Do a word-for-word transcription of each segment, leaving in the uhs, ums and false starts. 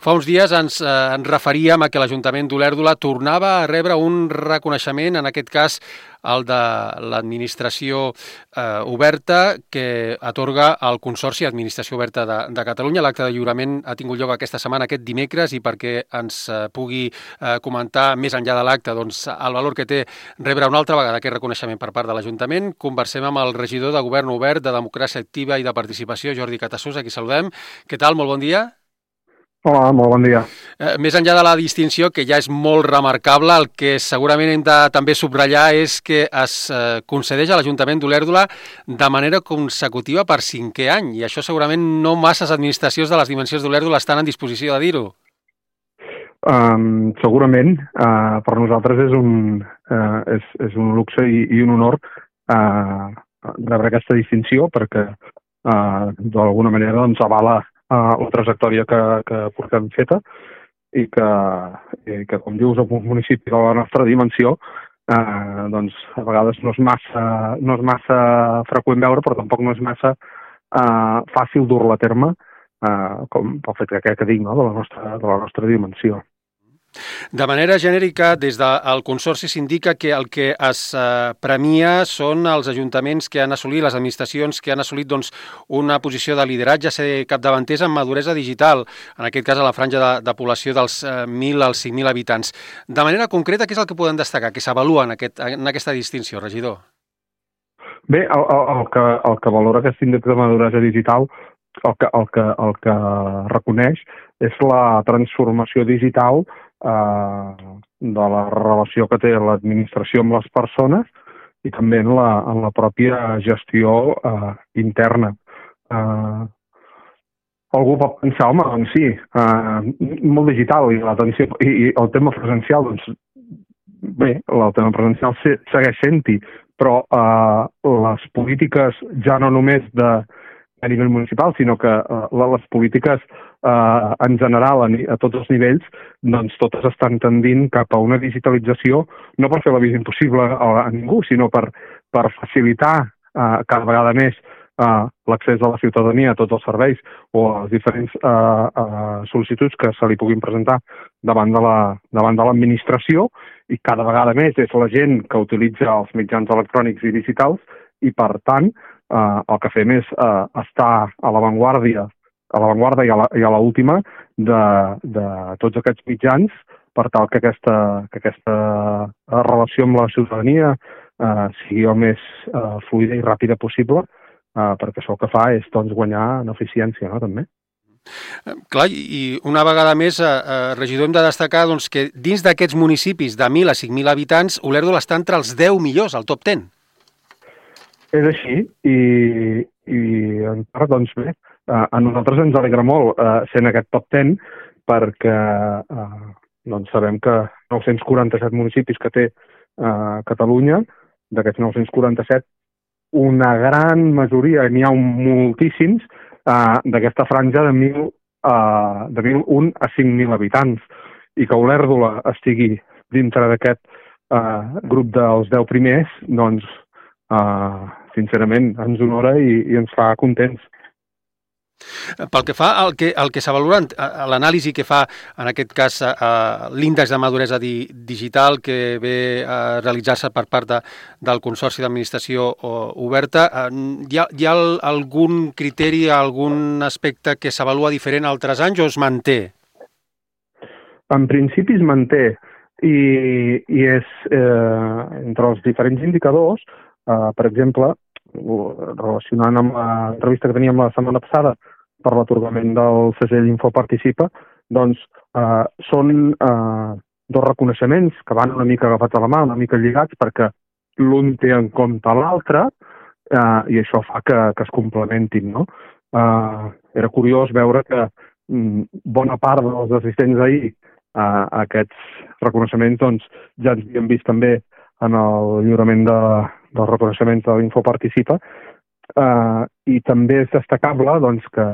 Fa uns dies ens, eh, ens referíem a que l'Ajuntament d'Olèrdola tornava a rebre un reconeixement, en aquest cas el de l'Administració eh, Oberta, que atorga el Consorci Administració Oberta de, de Catalunya. L'acte de lliurament ha tingut lloc aquesta setmana, aquest dimecres, i perquè ens eh, pugui eh, comentar més enllà de l'acte doncs, el valor que té rebre una altra vegada aquest reconeixement per part de l'Ajuntament, conversem amb el regidor de Govern Obert, de Democràcia Activa i de Participació, Jordi Catassús, a qui saludem. Què tal? Molt bon dia. Hola, molt bon dia. Eh, més enllà de la distinció, que ja és molt remarcable, el que segurament hem de també subratllar és que es eh, concedeix a l'Ajuntament d'Olèrdola de manera consecutiva per cinquè any, i això segurament no masses administracions de les dimensions d'Olèrdola estan en disposició de dir-ho. Um, segurament, uh, per nosaltres és un, uh, és, és un luxe i, i un honor uh, rebre aquesta distinció, perquè uh, d'alguna manera doncs, avala Uh, la trajectòria que, que portem feta i que, i que, com dius, en un municipi de la nostra dimensió, uh, doncs, a vegades no és massa, no és massa freqüent veure, però tampoc no és massa uh, fàcil dur-la a terme, uh, com pel fet que, que dic, no? de, la nostra, de la nostra dimensió. De manera genèrica, des del Consorci s'indica que el que es eh, premia són els ajuntaments que han assolit, les administracions que han assolit doncs, una posició de lideratge, ser capdavanters en maduresa digital, en aquest cas a la franja de, de població dels eh, mil als cinc mil habitants. De manera concreta, què és el que podem destacar, que s'avalua en, aquest, en aquesta distinció, regidor? Bé, el, el, el, que, el que valora aquest índex de maduresa digital, el que, el que, el que reconeix és la transformació digital eh, de la relació que té l'administració amb les persones i també en la, en la pròpia gestió eh, interna. Eh, algú pot pensar, home, doncs sí, eh, molt digital i, l'atenció, i, i el tema presencial, doncs bé, el tema presencial segueix sent-hi, però eh, les polítiques ja no només de a nivell municipal, sinó que uh, les polítiques uh, en general a, a tots els nivells, doncs totes estan tendint cap a una digitalització, no per fer la vida impossible a, a ningú, sinó per, per facilitar uh, cada vegada més uh, l'accés de la ciutadania a tots els serveis o a les diferents uh, uh, sol·licituds que se li puguin presentar davant de la, davant de l'administració, i cada vegada més és la gent que utilitza els mitjans electrònics i digitals, i per tant Uh, el que fem és uh, estar a l'avantguàrdia a l'avantguarda i a la, i a l'última de, de tots aquests mitjans per tal que aquesta, que aquesta relació amb la ciutadania uh, sigui el més uh, fluida i ràpida possible, uh, perquè això el que fa és doncs, guanyar en eficiència, no, també. Clar, i una vegada més, eh, regidor, hem de destacar doncs, que dins d'aquests municipis de mil a cinc mil habitants, Olèrdola està entre els deu millors, al top deu. És així, i, i en part, doncs bé, a nosaltres ens alegra molt eh, sent aquest top deu, perquè eh, doncs sabem que nou-cents quaranta-set municipis que té eh, Catalunya, d'aquests nou-cents quaranta-set, una gran majoria, n'hi ha moltíssims, eh, d'aquesta franja de mil, eh, de mil un a cinc mil habitants, i que Olèrdola estigui dintre d'aquest eh, grup dels deu primers, doncs, Uh, sincerament, ens honora i, i ens fa contents. Pel que fa al que, al que s'avalora, a l'anàlisi que fa, en aquest cas, uh, l'índex de maduresa di, digital que ve a realitzar-se per part de, del Consorci d'Administració Oberta, uh, hi ha, hi ha algun criteri, algun aspecte que s'avalua diferent a altres anys o es manté? En principi es manté i, i és, eh, entre els diferents indicadors, Uh, per exemple, relacionant amb l'entrevista que teníem la setmana passada per l'atorgament del segell Infoparticipa, doncs uh, són uh, dos reconeixements que van una mica agafats a la mà, una mica lligats, perquè l'un té en compte l'altre uh, i això fa que, que es complementin, no? Uh, era curiós veure que um, bona part dels assistents ahir uh, a aquests reconeixements doncs, ja ens havien vist també en el lliurament de dels reconeixements de l'Infoparticipa, eh, i també és destacable doncs, que,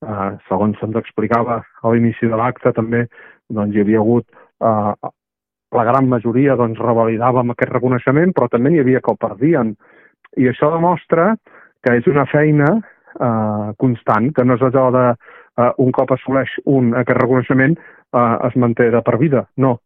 eh, segons se'ns explicava a l'inici de l'acte, també doncs, hi havia hagut, eh, la gran majoria doncs, revalidàvem aquest reconeixement, però també n'hi havia que el perdien. I això demostra que és una feina eh, constant, que no és allò de eh, un cop assoleix un aquest reconeixement eh, es manté de per vida. No.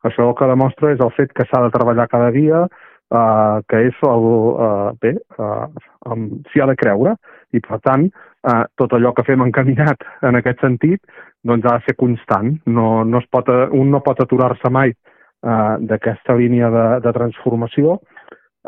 Això el que demostra és el fet que s'ha de treballar cada dia, eh, que és el, eh, bé, eh, s'hi ha de creure, i per tant eh, tot allò que fem encaminat en aquest sentit doncs ha de ser constant. No, no es pot, un no pot aturar-se mai eh, d'aquesta línia de, de transformació,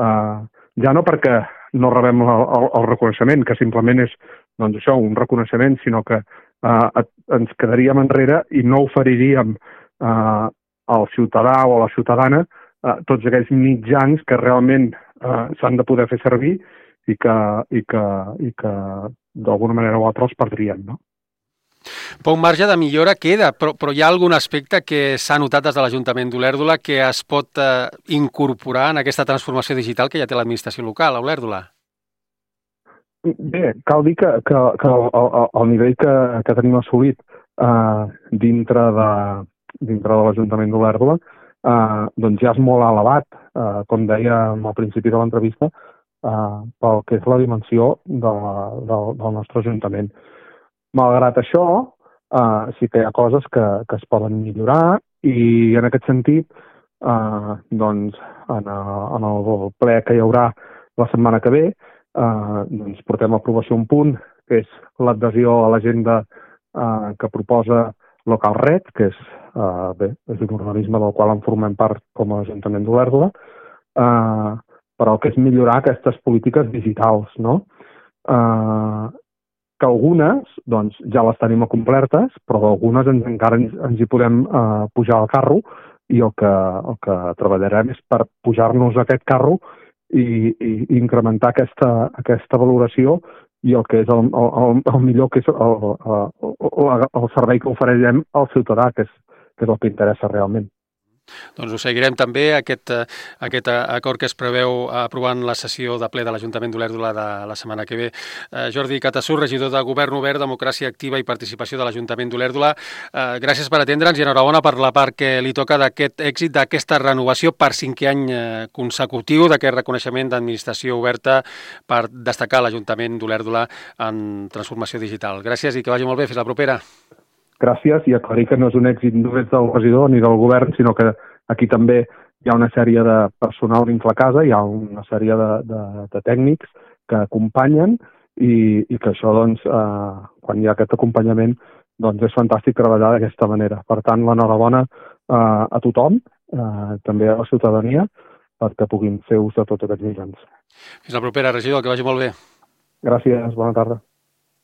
eh, ja no perquè no rebem el, el, el reconeixement, que simplement és doncs això, un reconeixement, sinó que eh, ens quedaríem enrere i no oferiríem eh, al ciutadà o a la ciutadana eh, tots aquells mitjans que realment eh, s'han de poder fer servir i que, i que, i que d'alguna manera o altra els perdrien, no? Poc marge de millora queda, però, però hi ha algun aspecte que s'ha notat des de l'Ajuntament d'Olèrdola que es pot eh, incorporar en aquesta transformació digital que ja té l'administració local a Olèrdola? Bé, cal dir que, que, que el, el, el nivell que, que tenim assolit eh, dintre de, dintre de l'Ajuntament d'Olèrdola eh, doncs ja és molt elevat, eh, com deia al principi de l'entrevista, eh, pel que és la dimensió de la, del, del nostre Ajuntament. Malgrat això, eh, sí que hi ha coses que, que es poden millorar i en aquest sentit, eh, doncs, en, en el ple que hi haurà la setmana que ve, eh, doncs portem a aprovació un punt, que és l'adhesió a l'agenda eh, que proposa LocalRed, que és, eh, bé, és un organisme del qual en formem part com a Ajuntament d'Olèrdola, eh, per al que és millorar aquestes polítiques digitals, no? Eh, que algunes doncs, ja les tenim complertes, però d'algunes ens, encara ens, ens hi podem eh, pujar al carro i el que, el que treballarem és per pujar-nos a aquest carro i, i, i incrementar aquesta, aquesta valoració i el que és el, el, el millor, que és el, el, el, el servei que oferirem al ciutadà, que és, que és el que interessa realment. Doncs ho seguirem també, aquest, aquest acord que es preveu aprovar en la sessió de ple de l'Ajuntament d'Olèrdola de la setmana que ve. Eh, Jordi Catassur, regidor de Govern Obert, Democràcia Activa i Participació de l'Ajuntament d'Olèrdola, eh, gràcies per atendre'ns i enhorabona per la part que li toca d'aquest èxit, d'aquesta renovació per cinquè any consecutiu, d'aquest reconeixement d'administració oberta per destacar l'Ajuntament d'Olèrdola en transformació digital. Gràcies i que vagi molt bé. Fins la propera. Gràcies, i aclarir que no és un èxit només del regidor ni del govern, sinó que aquí també hi ha una sèrie de personal dins la casa, hi ha una sèrie de, de, de tècnics que acompanyen i, i que això, doncs, eh, quan hi ha aquest acompanyament, doncs és fantàstic treballar d'aquesta manera. Per tant, l'enhorabona eh, a tothom, eh, també a la ciutadania, perquè puguin fer ús de tots aquests mitjans. Fins la propera, regidor, que vagi molt bé. Gràcies, bona tarda.